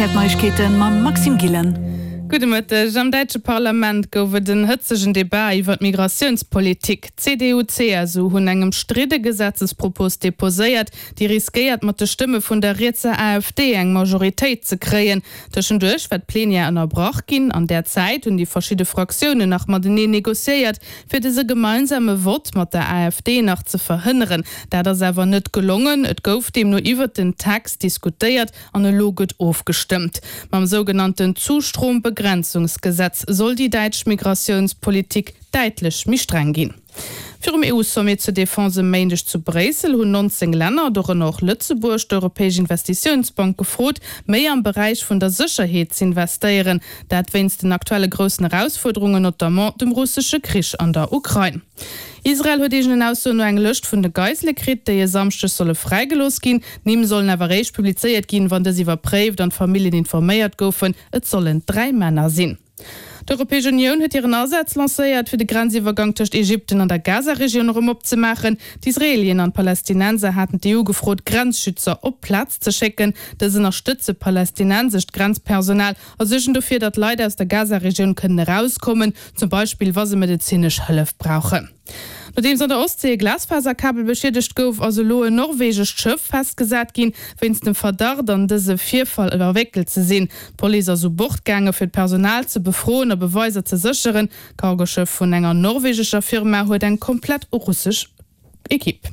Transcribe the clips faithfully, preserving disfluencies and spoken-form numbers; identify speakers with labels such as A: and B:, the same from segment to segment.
A: Här d'Neiegkeeten mam Maxime Gillen.
B: Gudde Mëtteg. Am däitsche Parlament gouf et en hëtzegen Debat iwwer d'Migratiounspolitik. D'CDU, CSU hunn eng ëmstridde Gesetzespropos deposéiert, déi riskéiert mat de Stëmme vun der rietser AfD eng Majoritéit ze kréien. Tëschenduerch war d'Plenière ënnerbrach ginn. An där Zäit hunn déi verschidde Fraktiounen nach mateneen negociéiert, fir dëse gemeinsame Vott mat der AfD nach ze verhënneren. Dat ass awer net gelongen. Et gouf deemno iwwert den Text diskutéiert an elo gëtt ofgestëmmt. Mam sougenannten Zustrombegrenzungsgesetz soll déi däitsch Migratiounspolitik däitlech méi streng ginn. Virum EU-Sommet zur Defense e Méindeg zu Bréissel hunn neunzéng Länner, dorënner och Lëtzebuerg, d'Europäesch Investitiounsbank gefrot, méi am Beräich vun der Sécherheet z'investéieren. Dat wéinst den aktuelle groussen Erausfuerderungen, notamment dem russesche Krich an der Ukrain. Israel huet eegenen Aussoen no eng Lëscht vun de Geisele kritt, déi e Samschdeg solle fräigelooss ginn. D'Nimm sollen awer eréischt publizéiert ginn, wann dës iwwerpréift an d'Familljen informéiert goufen. Et sollen dräi Männer sinn. D'Europäesch Unioun huet hiren Asaz lancéiert, fir de Grenziwwergang tëscht Ägypten an der Gaza-Regioun erëm opzemaachen. D'Israelien an d'Palästinenser haten d'EU gefrot, Grenzschützer op d'Plaz ze schécken. Dës ënnerstëtze palästinensescht Grenzpersonal a suergen dofir, datt Leit aus der Gaza-Regioun kënnen erauskommen, zum Beispill wa se medezinesch Hëllef brauchen. Nodeems an der Ostsee e Glasfaserkabel beschiedegt gouf, ass elo en norwegescht Schëff festgesat ginn, wéinst dem Verdacht an dëse Virfall verwéckelt ze sinn. D'Police ass u Bord gaange fir d'Personal ze befroen a Beweiser ze sécheren. D'Cargoschëff vun enger norwegescher Firma huet eng komplett russesch Ekipp.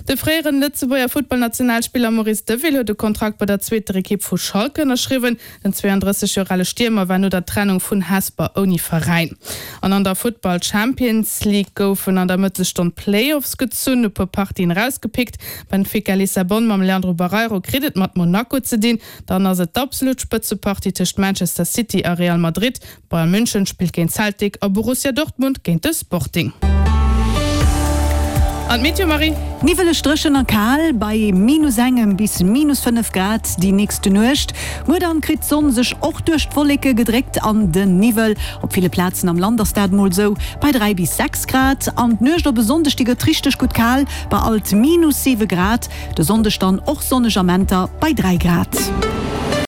B: De fréieren Lëtzebuerger Futtballnationalspiller Maurice Deville huet e Kontrakt bei der zweeter Ekipp vu Schalke ënnerschriwwen. Den zwouandrësseg Joer ale Stiermer war no der Trennung vun Hesper ouni Veräin. An an der Futtball Champions League goufen an der Mëttesstonn d'Playoffs gezunn, e puer Partien erausgepickt. Benfica Lissabon mam Leandro Barreiro kritt et mat Monaco ze dinn. Dann ass et d'absolut Spëtzepartie tëscht Manchester City a Real Madrid. Bayern München spillt géint Celtic a Borussia Dortmund géint de Sporting. An d'Meteo, Marie?
A: Niwweleg, dréchen a kal bei minus engem bis minus fënnef Grad déi nächste Nuecht. Muer dann kritt d'Sonn sech och duerch d'Wolleke gedréckt an den Niwwel. Op ville Plazen am Land ass dat mol sou bei dräi bis sechs Grad. An d'Nuecht op e Sonndeg, déi gëtt richteg gutt kal bei alt minus siwe Grad. De Sonndeg dann och sonneg Amenter bei dräi Grad.